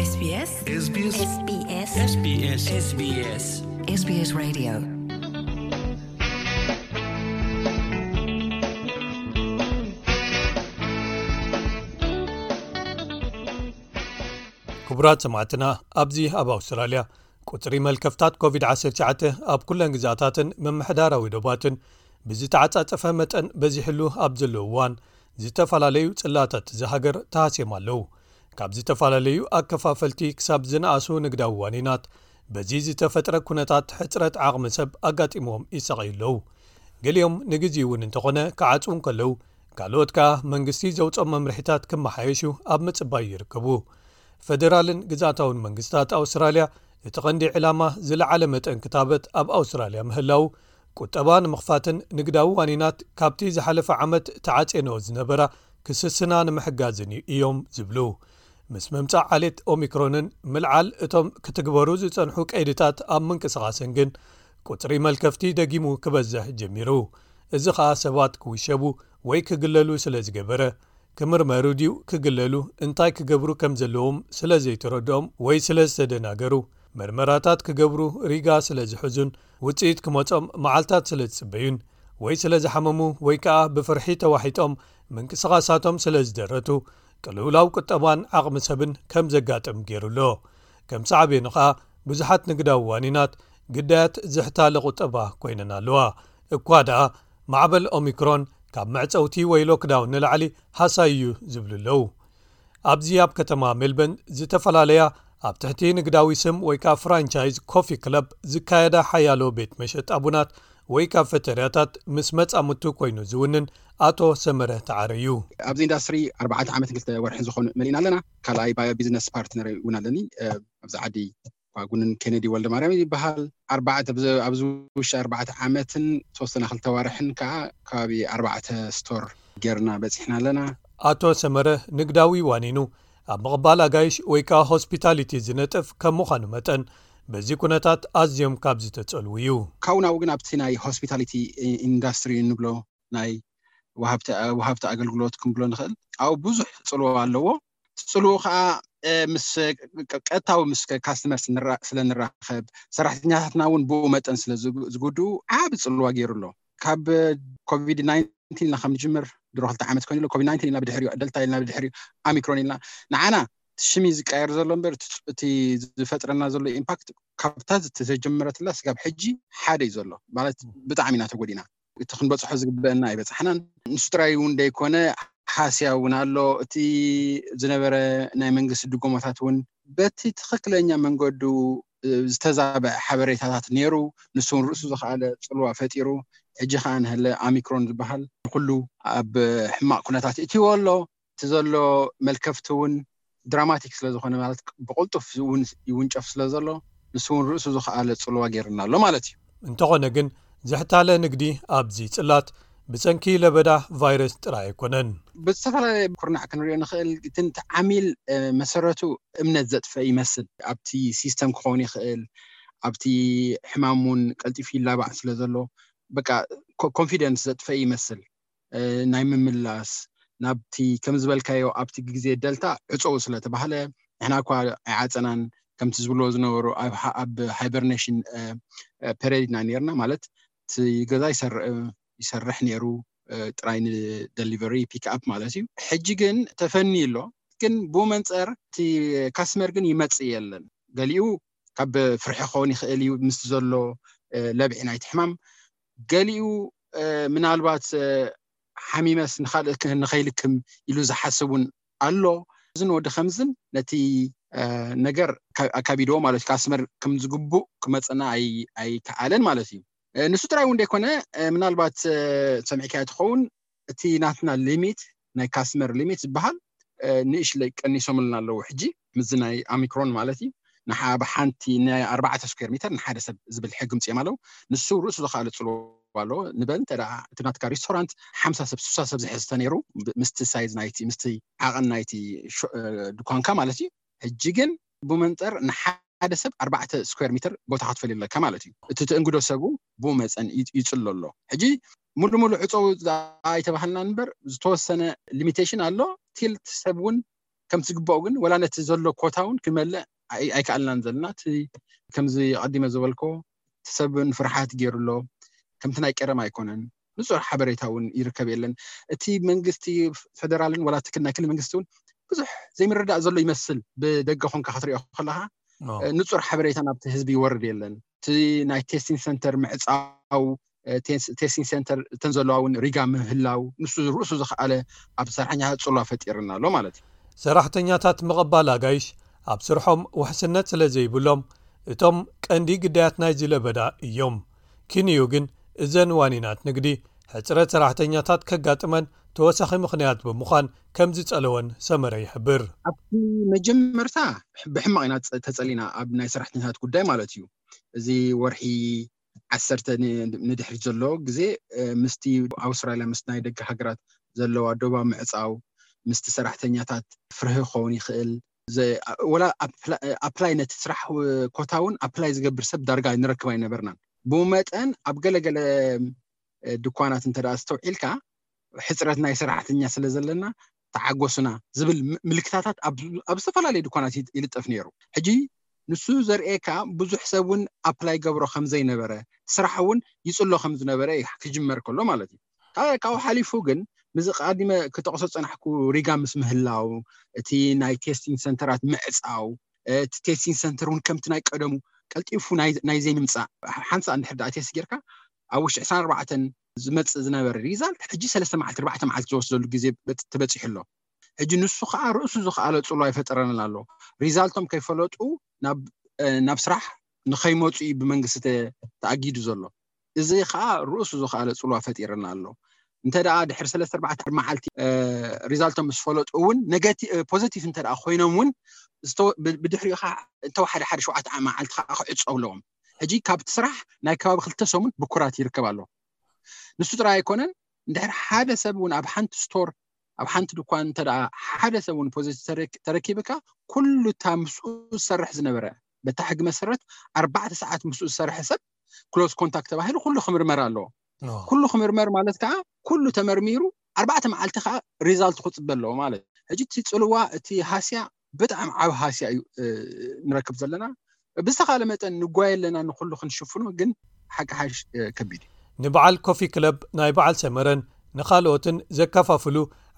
SBS SBS SBS SBS SBS Radio. ክቡራት ሰማዕትና፣ ኣብዚ ኣብ ኣውስትራልያ ቁጽሪ መልከፍታት ኮቪድ ዓሰርተ ትሽዓተ ኣብ ኩለን ግዛታትን ምምሕዳራዊ ዶባትን ብዝተዓጻጸፈ መጠን በዚሕሉ ኣብ ዘሎ እዋን፣ ዝተፈላለዩ ጽላታት እዚ ሃገር ተሃስዮም ኣለዉ። ካብ ዝተፈላለዩ ኣከፋፈልቲ ክሳብ ዝነኣሱ ንግዳዊ ዋኒናት፣ በዚ ዝተፈጥረ ኩነታት ሕጽረት ዓቕሚ ሰብ ኣጋጢምዎም ይሳቐዩ ኣለዉ። ገሊኦም ንግዜኡ እውን እንተኾነ ክዓጽዉ እንከለዉ፣ ካልኦት ከኣ መንግስቲ ዘውጽኦም መምርሒታት ክመሓየሹ ኣብ ምጽባይ ይርከቡ። ፈደራልን ግዝኣታውን መንግስታት ኣውስትራልያ፣ እቲ ቀንዲ ዕላማ ዝለዓለ መጠን ክታበት ኣብ ኣውስትራልያ ምህላው፣ ቁጠባ ንምኽፋትን ንግዳዊ ዋኒናት ካብቲ ዝሓለፈ ዓመት ተዓጽየንኦ ዝነበራ ክስስና ንምሕጋዝን እዩ እዮም ዝብሉ። ምስ ምምጻእ ዓሌት ኦሚክሮንን ምልዓል እቶም ክትግበሩ ዝጸንሑ ቀይድታት ኣብ ምንቅስቓስን ግን፣ ቁጽሪ መልከፍቲ ደጊሙ ክበዝሕ ጀሚሩ። እዚ ኸኣ ሰባት ክውሸቡ ወይ ክግለሉ ስለ ዝገበረ፣ ክምርመሩ ድዩ ክግለሉ፣ እንታይ ክገብሩ ከም ዘለዎም ስለ ዘይተረድኦም ወይ ስለ ዝተደናገሩ፣ መርመራታት ክገብሩ ሪጋ ስለ ዝሕዙን ውጽኢት ክመጾም መዓልታት ስለ ዝጽበዩን ወይ ስለ ዝሓመሙ ወይ ከኣ ብፍርሒ ተዋሒጦም ምንቅስቓሳቶም ስለ ዝደረቱ፣ ቅልውላው ቁጠባን ዓቕሚ ሰብን ከም ዘጋጥም ገይሩ ኣሎ። ከም ሳዕቤኑ ኸኣ ብዙሓት ንግዳዊ ዋኒናት ግዳያት ዝሕታለ ቁጠባ ኮይነን ኣለዋ። እኳ ደኣ ማዕበል ኦሚክሮን ካብ መዕጸውቲ ወይ ሎክዳውን ንላዕሊ ሃሳይ እዩ ዝብሉ ኣለዉ። ኣብዚ ኣብ ከተማ ሜልበርን ዝተፈላለያ ኣብ ትሕቲ ንግዳዊ ስም ወይ ከኣ ፍራንቻይዝ ኮፊ ክለብ ዝካየዳ ሓያሎ ቤት መሸጣ ቡናት ወይ ካፈተርያታት ምስ መጻምቱ ኮይኑ ዝውንን ኣቶ ሰመረ ተዓረ እዩ። ኣብዚ ኢንዳስትሪ ኣርባዕተ ዓመት ክልተ ወርሒ ዝኾኑ መሊእና ኣለና። ካልኣይ ባዮ ቢዝነስ ፓርትነር እውን ኣለኒ። ኣብዚ ዓዲ ፋጉንን ኬነዲ ወልደ ማርያም ይበሃል። ኣርባዕተ ኣብዚ ውሽጢ ኣርባዕተ ዓመትን ተወሰነ ክልተ ዋርሕን ከዓ ከባቢ ኣርባዕተ ስቶር ጌርና በፂሕና ኣለና። ኣቶ ሰመረ ንግዳዊ ዋኒኑ ኣብ ምቕባል ኣጋይሽ ወይ ከዓ ሆስፒታሊቲ ዝነጥፍ ከም ምዃኑ መጠን፣ በዚ ኩነታት ኣዝዮም ካብ ዝተጸልዉ እዩ። ካብኡ ናብኡ ግን ኣብቲ ናይ ሆስፒታሊቲ ኢንዳስትሪ እንብሎ ናይ ወሃብቲ ኣገልግሎት ክንብሎ ንኽእል፣ ኣብኡ ብዙሕ ጽልዎ ኣለዎ። ጽልዎ ከዓ ምስ ቀጥታዊ ምስ ካስተመር ስለ ንራኸብ፣ ሰራሕተኛታትና እውን ብኡ መጠን ስለ ዝጉድኡ ዓቢ ጽልዋ ገይሩ ኣሎ። ካብ ኮቪድ ናይንቲን ኢልና ከም ንጅምር ድሮ ክልተ ዓመት ኮይኑ ኣሎ። ኮቪድ ናይንቲን ኢልና ብድሕሪኡ፣ ደልታ ኢልና ብድሕሪኡ፣ ኣሚክሮን ኢልና፣ ንዓና ሽም እዩ ዝቀየር ዘሎ እምበር እቲ ዝፈጥረና ዘሎ ኢምፓክት ካብታ ዝተጀመረትላ ስጋብ ሕጂ ሓደ እዩ ዘሎ። ማለት ብጣዕሚ ኢና ተጎዲና። እቲ ክንበፅሖ ዝግበአና ኣይበፃሕናን። ንሱ ጥራይ እውን ደይኮነ፣ ሃስያ እውን ኣሎ። እቲ ዝነበረ ናይ መንግስቲ ድጎማታት እውን በቲ ትኽክለኛ መንገዱ ዝተዛበዐ ሓበሬታታት ነይሩ። ንሱ እውን ርእሱ ዝኸኣለ ፅልዋ ፈጢሩ። ሕጂ ከዓ ንሀለ ኣሚክሮን ዝበሃል ኩሉ ኣብ ሕማቕ ኩነታት እትይዎ ኣሎ። እቲ ዘሎ መልከፍቲ እውን ድራማቲክ ስለ ዝኾነ፣ ማለት ብቕልጡፍ እውን ይውንጨፍ ስለ ዘሎ፣ ንሱ እውን ርእሱ ዝኸኣለ ጽልዋ ገይርና ኣሎ ማለት እዩ። እንተኾነ ግን፣ ዝሕታለ ንግዲ ኣብዚ ጽላት ብሰንኪ ለበዳ ቫይረስ ጥራይ ኣይኮነን። ብዝተፈላለየ ኩርናዕ ክንሪኦ ንኽእል። እቲ ዓሚል መሰረቱ እምነት ዘጥፈ ይመስል። ኣብቲ ሲስተም ክኸውን ይኽእል፣ ኣብቲ ሕማም እውን ቀልጢፉ ይላባዕ ስለ ዘሎ፣ በቃ ኮንፊደንስ ዘጥፈ ይመስል። ናይ ምምላስ ናብቲ ከም ዝበልካዮ ኣብቲ ግዜ ደልታ ዕፀው ስለተባህለ ንሕና እኳ ኣይዓፀናን። ከምቲ ዝብልዎ ዝነበሩ ኣብ ሃይበርኔሽን ፔሬድ ኢና ነርና። ማለት እቲ ገዛ ይሰርሕ ነይሩ፣ ጥራይ ንደሊቨሪ ፒክ ኣፕ ማለት እዩ። ሕጂ ግን ተፈኒ ኣሎ። ግን ብኡ መንፀር እቲ ካስመር ግን ይመፅእ የለን። ገሊኡ ካብ ፍርሒ ክኸውን ይኽእል እዩ ምስ ዘሎ ለብዒ ናይቲ ሕማም። ገሊኡ ምናልባት ሓሚመስ ንኻልእ ንኸይልክም ኢሉ ዝሓስብ እውን ኣሎ። እዝን ወዲ ከምዝን ነቲ ነገር ኣካቢድዎ ማለት እዩ። ካስመር ከም ዝግቡእ ክመፀና ኣይከኣለን ማለት እዩ። ንሱ ጥራይ እውን ደይኮነ፣ ምናልባት ሰሚዕካዮ ትኸውን፣ እቲ ናትና ሊሚት፣ ናይ ካስመር ሊሚት ዝበሃል ንእሽለይ ቀኒሶምልና ኣለዉ። ሕጂ ምስዚ ናይ ኣሚክሮን ማለት እዩ። ንሓ ብሓንቲ ናይ ኣርባዕተ ስኩዌር ሜተር ንሓደ ሰብ ዝብል ሕጊ ምፅኦም ኣለዉ። ንሱ ርእሱ ዝኸኣለ ፅልዋ ኣለዎ። ንበል እንተ እቲ ናትካ ሬስቶራንት ሓምሳ ሰብ፣ ስሳ ሰብ ዝሕዝ ተነይሩ፣ ምስቲ ሳይዝ ናይቲ፣ ምስቲ ዓቐን ናይቲ ድኳንካ ማለት እዩ። ሕጂ ግን ብመንፅር ንሓደ ሰብ ኣርባዕተ ስኩዌር ሜተር ቦታ ክትፈልዩ ኣለካ ማለት እዩ። እቲ ትእንግዶ ሰቡ ብኡ መፀን ይፅሎ ኣሎ። ሕጂ ሙሉ ሙሉ ዕፀው ኣይተባሃልና እምበር ዝተወሰነ ሊሚቴሽን ኣሎ። ቲልት ሰብ እውን ከምቲ ዝግባኡ ግን ወላ ነቲ ዘሎ ኮታ እውን ክመልእ ኣይከኣልናን ዘለና። እቲ ከምዚ ኣቐዲመ ዝበልኮ እቲ ሰብ ንፍርሓት ገይሩ ኣሎ። ከምቲ ናይ ቀደም ኣይኮነን። ንፁር ሓበሬታ እውን ይርከብ የለን። እቲ መንግስቲ ፌደራልን ወላ እቲ ክልል ናይ ክልል መንግስቲ እውን ብዙሕ ዘይምርዳእ ዘሎ ይመስል። ብደገ ኮንካ ክትሪኦ ከለካ ንፁር ሓበሬታ ናብቲ ህዝቢ ይወርድ የለን። እቲ ናይ ቴስቲንግ ሰንተር ምዕፃው፣ ቴስቲንግ ሰንተር እተን ዘለዋ እውን ሪጋ ምህላው ንሱ ርእሱ ዝኸኣለ ኣብ ሰራሕተኛታት ፅልዋ ፈጢርና ኣሎ ማለት እዩ። ሰራሕተኛታት ምቕባል ኣጋይሽ ኣብ ስርሖም ውሕስነት ስለ ዘይብሎም እቶም ቀንዲ ግዳያት ናይዚ ለበዳ እዮም። ኪንዩ ግን እዘን ዋኒናት ንግዲ ሕፅረት ሰራሕተኛታት ከጋጥመን ተወሳኺ ምኽንያት ብምዃን ከም ዝጸለወን ሰመረ ይሕብር። ኣብቲ መጀመርታ ብሕማቕ ኢና ተጸሊና ኣብ ናይ ሰራሕተኛታት ጉዳይ ማለት እዩ። እዚ ወርሒ ዓሰርተ ንድሕሪት ዘሎ ግዜ ምስቲ ኣውስትራልያ ምስ ናይ ደገ ሃገራት ዘለዋ ዶባ ምዕፃው ምስቲ ሰራሕተኛታት ፍርሂ ክኸውን ይኽእል። ወላ ኣፕላይ ነቲ ስራሕ ኮታ እውን ኣፕላይ ዝገብር ሰብ ዳርጋ ንረክብ ኣይነበርናን። ብኡ መጠን ኣብ ገለገለ ድኳናት እንተ ኣስተውዒልካ ሕፅረት ናይ ሰራሕተኛ ስለ ዘለና ተዓጎሱና ዝብል ምልክታታት ኣብ ዝተፈላለዩ ድኳናት ይልጠፍ ነይሩ። ሕጂ ንሱ ዘርእየካ ብዙሕ ሰብ እውን ኣፕላይ ገብሮ ከም ዘይነበረ፣ ስራሕ እውን ይፅሎ ከም ዝነበረ ክጅመር ከሎ ማለት እዩ። ካብኡ ሓሊፉ ግን ምስዚ ቀዲመ ክጠቕሶ ዝፀናሕኩ ሪጋ ምስ ምህላው፣ እቲ ናይ ቴስቲንግ ሰንተራት ምዕፃው፣ እቲ ቴስቲንግ ሰንተር እውን ከምቲ ናይ ቀደሙ ቀልጢፉ ናይ ዘይምምፃእ፣ ሓንሳእ እንድሕር ደኣ ቴስት ጌርካ ኣብ ውሽጢ ዕስራን ኣርባዕተን ዝመፅእ ዝነበረ ሪዛልት ሕጂ ሰለስተ መዓልቲ ኣርባዕተ መዓልቲ ዝወስደሉ ግዜ ተበፂሑ ኣሎ። ሕጂ ንሱ ከዓ ርእሱ ዝኸኣለ ፅልዋ ይፈጠረልና ኣሎ። ሪዛልቶም ከይፈለጡ ናብ ስራሕ ንኸይመፁ እዩ ብመንግስቲ ተኣጊዱ ዘሎ። እዚ ከዓ ርእሱ ዝኸኣለ ፅልዋ ፈጢርና ኣሎ። እንተ ደኣ ድሕሪ ሰለስተ ኣርባዕተ መዓልቲ ሪዛልቶም ምስ ፈለጡ እውን ፖዘቲቭ እንተ ኮይኖም እውን ብድሕሪኡ ከዓ እንተወሓደ ሓደ ሸውዓተ መዓልቲ ከዓ ክዕፀው ኣለዎም። ሕጂ ካብቲ ስራሕ ናይ ከባቢ ክልተ ሰሙን ብኩራት ይርከብ ኣሎ። ንሱ ጥራይ ኣይኮነን፣ እንድሕር ሓደ ሰብ እውን ኣብ ሓንቲ ስቶር ኣብ ሓንቲ ድኳን እንተ ሓደ ሰብ እውን ፖዘቲቭ ተረኪብካ ኩሉ እታ ምስኡ ዝሰርሕ ዝነበረ በታ ሕጊ መሰረት ኣርባዕተ ሰዓት ምስኡ ዝሰርሐ ሰብ ክሎዝ ኮንታክት ተባሂሉ ኩሉ ክምርመር ኣለዎ። ኩሉ ክምርመር ማለት ከዓ ኩሉ ተመርሚሩ ኣርባዕተ መዓልቲ ከዓ ሪዛልት ክፅበ ኣለዎ ማለት። ሕጂ እቲ ፅልዋ እቲ ሃስያ ብጣዕሚ ዓብ ሃስያ እዩ ንረክብ ዘለና። ብዝተኻለ መጠን ንጓየ ኣለና ንኩሉ ክንሽፍኖ፣ ግን ሓቂ ሓሽ ከቢድ እዩ። ንበዓል ኮፊ ክለብ ናይ በዓል ሰመረን ንኻልኦትን ዘከፋፍሉ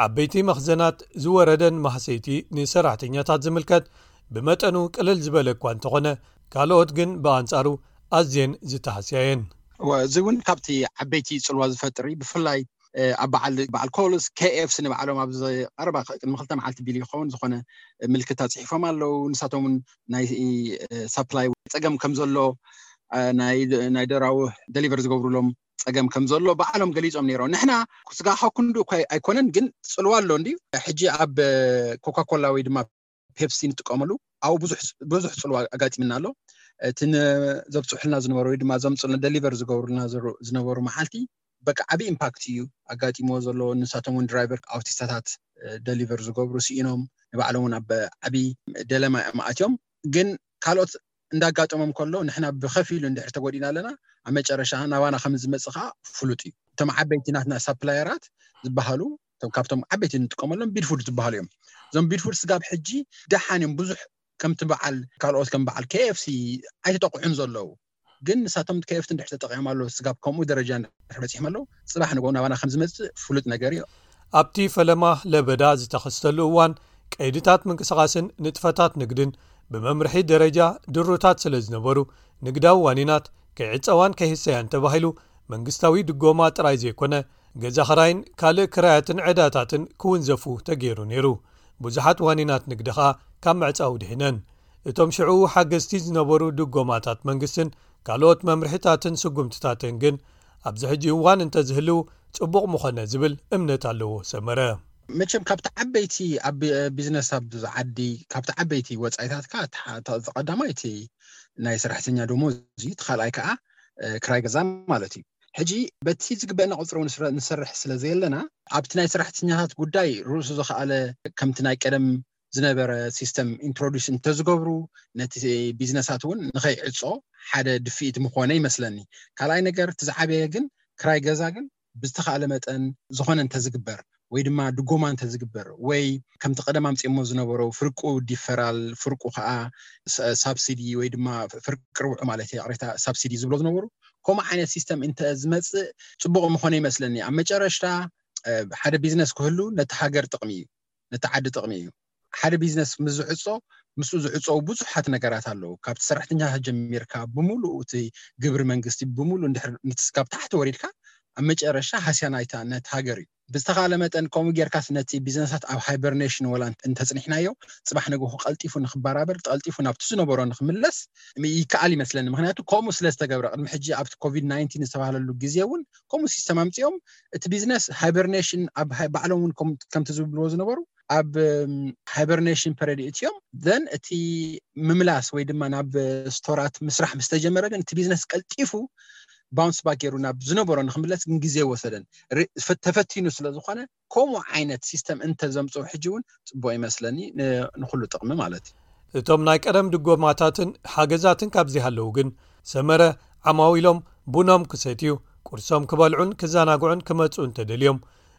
ዓበይቲ መኽዘናት ዝወረደን ማህሰይቲ ንሰራሕተኛታት ዝምልከት ብመጠኑ ቅልል ዝበለ እኳ እንተኾነ፣ ካልኦት ግን ብኣንጻሩ ኣዝየን ዝተሃስያ እየን። እዚ እውን ካብቲ ዓበይቲ ጽልዋ ዝፈጥር እዩ። ብፍላይ ኣብ በዓል በዓል ኮልስ፣ ኬኤፍሲ ንባዕሎም ኣብዚ ቀረባ ቅድሚ ክልተ መዓልቲ ቢሉ ይኸውን ዝኾነ ምልክታ ጽሒፎም ኣለዉ። ንሳቶም እውን ናይ ሳፕላይ ጸገም ከም ዘሎ፣ ናይ ደራዊ ደሊቨር ዝገብሩሎም ጸገም ከም ዘሎ ባዕሎም ገሊጾም ነይሮም። ንሕና ስጋ ካብ ክንዱ ኣይኮነን፣ ግን ጽልዋ ኣሎ እንዲ ሕጂ ኣብ ኮካኮላ ወይ ድማ ፔፕሲ ንጥቀመሉ ኣብኡ ብዙሕ ጽልዋ ኣጋጢምና ኣሎ። እቲ ዘብፅሑልና ዝነበሩ ወይ ድማ ዘምፅልና ደሊቨር ዝገብሩልና ዝነበሩ መዓልቲ በቃ ዓብዪ ኢምፓክት እዩ ኣጋጢምዎ ዘሎ። ንሳቶም እውን ድራይቨር ኣውቲስታታት ደሊቨር ዝገብሩ ስኢኖም፣ ንባዕሎም እውን ኣብ ዓብዪ ደለማ እዮም ኣትዮም። ግን ካልኦት እንዳጋጠሞም ከሎ ንሕና ብኸፊሉ እንድሕር ተጎዲና ኣለና፣ ኣብ መጨረሻ ናባና ከም ዝመፅእ ከዓ ፍሉጥ እዩ። እቶም ዓበይቲ ናትና ሳፕላየራት ዝበሃሉ ካብቶም ዓበይቲ እንጥቀመሎም ቢድፉድ ዝበሃሉ እዮም። እዞም ቢድፉድ ስጋብ ሕጂ ደሓን እዮም። ብዙሕ ከምቲ በዓል ካልኦት ከም በዓል ኬኤፍሲ ኣይተጠቕዑን ዘለዉ፣ ግን ንሳቶም ኬኤፍሲ እንድሕር ተጠቂዖም ኣለዉ፣ ስጋብ ከምኡ ደረጃ እንድሕር በፂሖም ኣለዉ፣ ፅባሕ ንግሆ ናባና ከም ዝመፅእ ፍሉጥ ነገር እዩ። ኣብቲ ፈለማ ለበዳ ዝተኸስተሉ እዋን ቀይድታት ምንቅስቓስን ንጥፈታት ንግድን ብመምርሒ ደረጃ ድሩታት ስለ ዝነበሩ፣ ንግዳዊ ዋኒናት ከይዕጸዋን ከይህሰያን ተባሂሉ መንግስታዊ ድጎማ ጥራይ ዘይኮነ፣ ገዛ ኽራይን ካልእ ክራያትን ዕዳታትን ክውንዘፉ ተገይሩ ነይሩ። ብዙሓት ዋኒናት ንግዲ ኸኣ ካብ ምዕጻው ድሒነን። እቶም ሽዑ ሓገዝቲ ዝነበሩ ድጎማታት መንግስትን ካልኦት መምርሒታትን ስጉምትታትን ግን ኣብዚ ሕጂ እዋን እንተዝህልው ጽቡቕ ምኾነ ዝብል እምነት ኣለዎ ሰመረ። መቸም ካብቲ ዓበይቲ ኣብ ቢዝነስ ኣብዚ ዓዲ ካብቲ ዓበይቲ ወፃኢታትካ ዝቐዳማይ እቲ ናይ ሰራሕተኛ ደሞዝ እዩ፣ እቲ ካልኣይ ከዓ ክራይ ገዛ ማለት እዩ። ሕጂ በቲ ዝግበአና ቁፅሪ እውን ንሰርሕ ስለ ዘየለና ኣብቲ ናይ ሰራሕተኛታት ጉዳይ ርእሱ ዝኸኣለ ከምቲ ናይ ቀደም ዝነበረ ሲስተም ኢንትሮዲስ እንተዝገብሩ ነቲ ቢዝነሳት እውን ንኸይዕፆ ሓደ ድፍኢት ምኾነ ይመስለኒ። ካልኣይ ነገር እቲ ዝዓበየ ግን ክራይ ገዛ ግን ብዝተኻእለ መጠን ዝኾነ እንተዝግበር ወይ ድማ ድጎማ እንተዝግበር ወይ ከምቲ ቀደም ኣምፅኦሞ ዝነበሩ ፍርቁ ዲፈራል ፍርቁ ከዓ ሳብሲዲ ወይ ድማ ፍርቂ ርብሑ ማለት ይቕሬታ ሳብሲዲ ዝብሎ ዝነበሩ ከምኡ ዓይነት ሲስተም እንተ ዝመፅእ ፅቡቕ ምኾነ ይመስለኒ። ኣብ መጨረሽታ ሓደ ቢዝነስ ክህሉ ነቲ ሃገር ጥቕሚ እዩ፣ ነቲ ዓዲ ጥቕሚ እዩ። ሓደ ቢዝነስ ምስ ዝዕፆ ምስኡ ዝዕፀው ብዙሓት ነገራት ኣለዉ። ካብቲ ሰራሕተኛ ጀሚርካ ብምሉእ እቲ ግብሪ መንግስቲ ብምሉእ እንድሕር ንትስካብ ታሕቲ ወሪድካ ኣብ መጨረሻ ሃስያ ናይታ ነት ሃገር እዩ። ብዝተኻለ መጠን ከምኡ ጌርካስ ነቲ ቢዝነሳት ኣብ ሃይበርኔሽን ወላ እንተፅኒሕናዮ ፅባሕ ንግሆ ቀልጢፉ ንክበራበር ቀልጢፉ ናብቲ ዝነበሮ ንክምለስ ይከኣል ይመስለኒ። ምክንያቱ ከምኡ ስለ ዝተገብረ ቅድሚ ሕጂ ኣብቲ ኮቪድ ናይንቲን ዝተባህለሉ ግዜ እውን ከምኡ ሲስተም ኣምፅኦም እቲ ቢዝነስ ሃይበርኔሽን ኣብ ባዕሎም እውን ከምቲ ዝብልዎ ዝነበሩ ኣብ ሃይበርኔሽን ፐረድ እትዮም ዘን እቲ ምምላስ ወይ ድማ ናብ ስቶራት ምስራሕ ምስ ተጀመረ ግን እቲ ቢዝነስ ቀልጢፉ ባውንስ ባክ ገይሩ ናብ ዝነበሮ ንክምለስ ግን ግዜ ወሰደን። ተፈቲኑ ስለ ዝኾነ ከምኡ ዓይነት ሲስተም እንተዘምፅኡ ሕጂ እውን ፅቡቅ ይመስለኒ፣ ንኩሉ ጥቕሚ ማለት እዩ። እቶም ናይ ቀደም ድጎማታትን ሓገዛትን ካብዚ ሃለዉ ግን ሰመረ ዓማዊሎም ቡኖም ክሰትዩ፣ ቁርሶም ክበልዑን ክዘናግዑን ክመፁ እንተደልዮም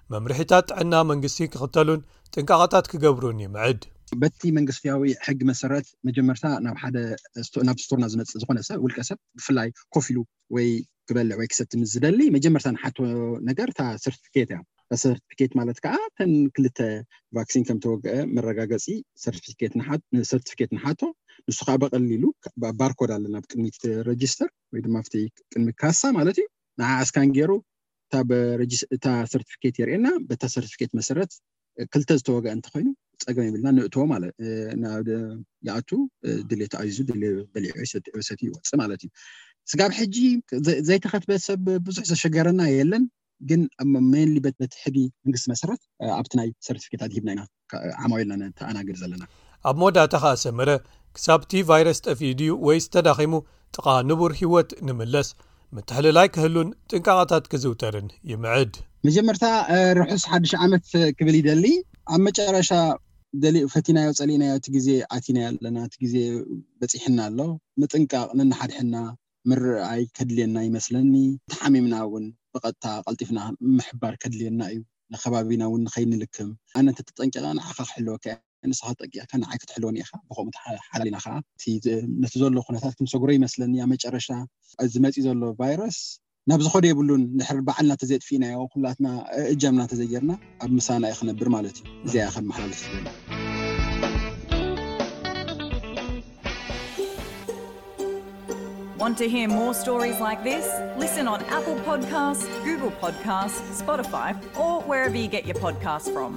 መምርሒታት ጥዕና መንግስቲ ክኽተሉን ጥንቃቐታት ክገብሩን ይምዕድ። በቲ መንግስታዊ ሕጊ መሰረት መጀመርታ ናብ ሓደ ናብ ስቶርና ዝመፅእ ዝኾነ ሰብ ውልቀ ሰብ ብፍላይ ኮፍ ኢሉ ወይ ክበልዕ ወይ ክሰቲ ምስ ዝደሊ መጀመርታ ንሓቶ ነገር እታ ሰርቲፊኬት እያ። ሰርቲፊኬት ማለት ከዓ ተን ክልተ ቫክሲን ከም ተወግአ መረጋገፂ ሰርቲፊኬት ንሓቶ። ንሱ ከዓ በቀሊሉ ባርኮድ ኣለና ኣብ ቅድሚት ረጅስተር ወይ ድማ ኣብቲ ቅድሚ ካሳ ማለት እዩ። ንዓ እስካን ገይሩ እታ ሰርቲፊኬት የርእየና። በታ ሰርቲፊኬት መሰረት ክልተ ዝተወግአ እንተኮይኑ ፀገም የብልና፣ ንእትዎ ማለት ይኣቱ ድሌት ኣዚዙ ድሌት በሊዑ ሰትዩ ይወፅእ ማለት እዩ። ስጋብ ሕጂ ዘይተኸትበ ሰብ ብዙሕ ዘሸገረና የለን። ግን ሜንሊ በቲ ሕጊ መንግስቲ መሰረት ኣብቲ ናይ ሰርቲፊኬት ኣድሂብና ኢና ዓማዊልና ነተኣናግድ ዘለና። ኣብ መወዳእታ ከኣ ሰመረ ክሳብ እቲ ቫይረስ ጠፊኡ ድዩ ወይስ ተዳኺሙ ጥቓ ንቡር ህይወት ንምለስ ምትሕልላይ ክህሉን ጥንቃቐታት ክዝውተርን ይምዕድ። መጀመርታ ርሑስ ሓድሽ ዓመት ክብል ይደሊ። ኣብ መጨረሻ ደሊ ፈቲናዮ ጸሊእናዮ እቲ ግዜ ኣቲናዮ ኣለና፣ እቲ ግዜ በጺሕና ኣሎ። ምጥንቃቕ ነንሓድሕና ምርኣይ ከድልየና ይመስለኒ። ተሓሚምና እውን ብቐጥታ ቀልጢፍና ምሕባር ከድልየና እዩ። ንከባቢና እውን ንኸይንልክም። ኣነ እንተተጠንቂቐ ንዓኻ ክሕልወካ እየ፣ ንስኻ ተጠንቂቕካ ንዓይ ክትሕልወኒ ኢኻ። ብኸምኡ ሓላሊና ከዓ ነቲ ዘሎ ኩነታት ክንሰግሮ ይመስለኒ። ኣብ መጨረሻ እዚ መፂኡ ዘሎ ቫይረስ ናብ ዝኸዶ የብሉን። ድሕር ባዕልና ተዘይጥፊእናዮ ኩላትና እጃምና ተዘይጌርና ኣብ ምሳና እዩ ክነብር ማለት እዩ። እዚኣ ከም መሓላለፍ ዝብል Want to hear more stories like this? Listen on Apple Podcasts, Google Podcasts, Spotify, or wherever you get your podcasts from.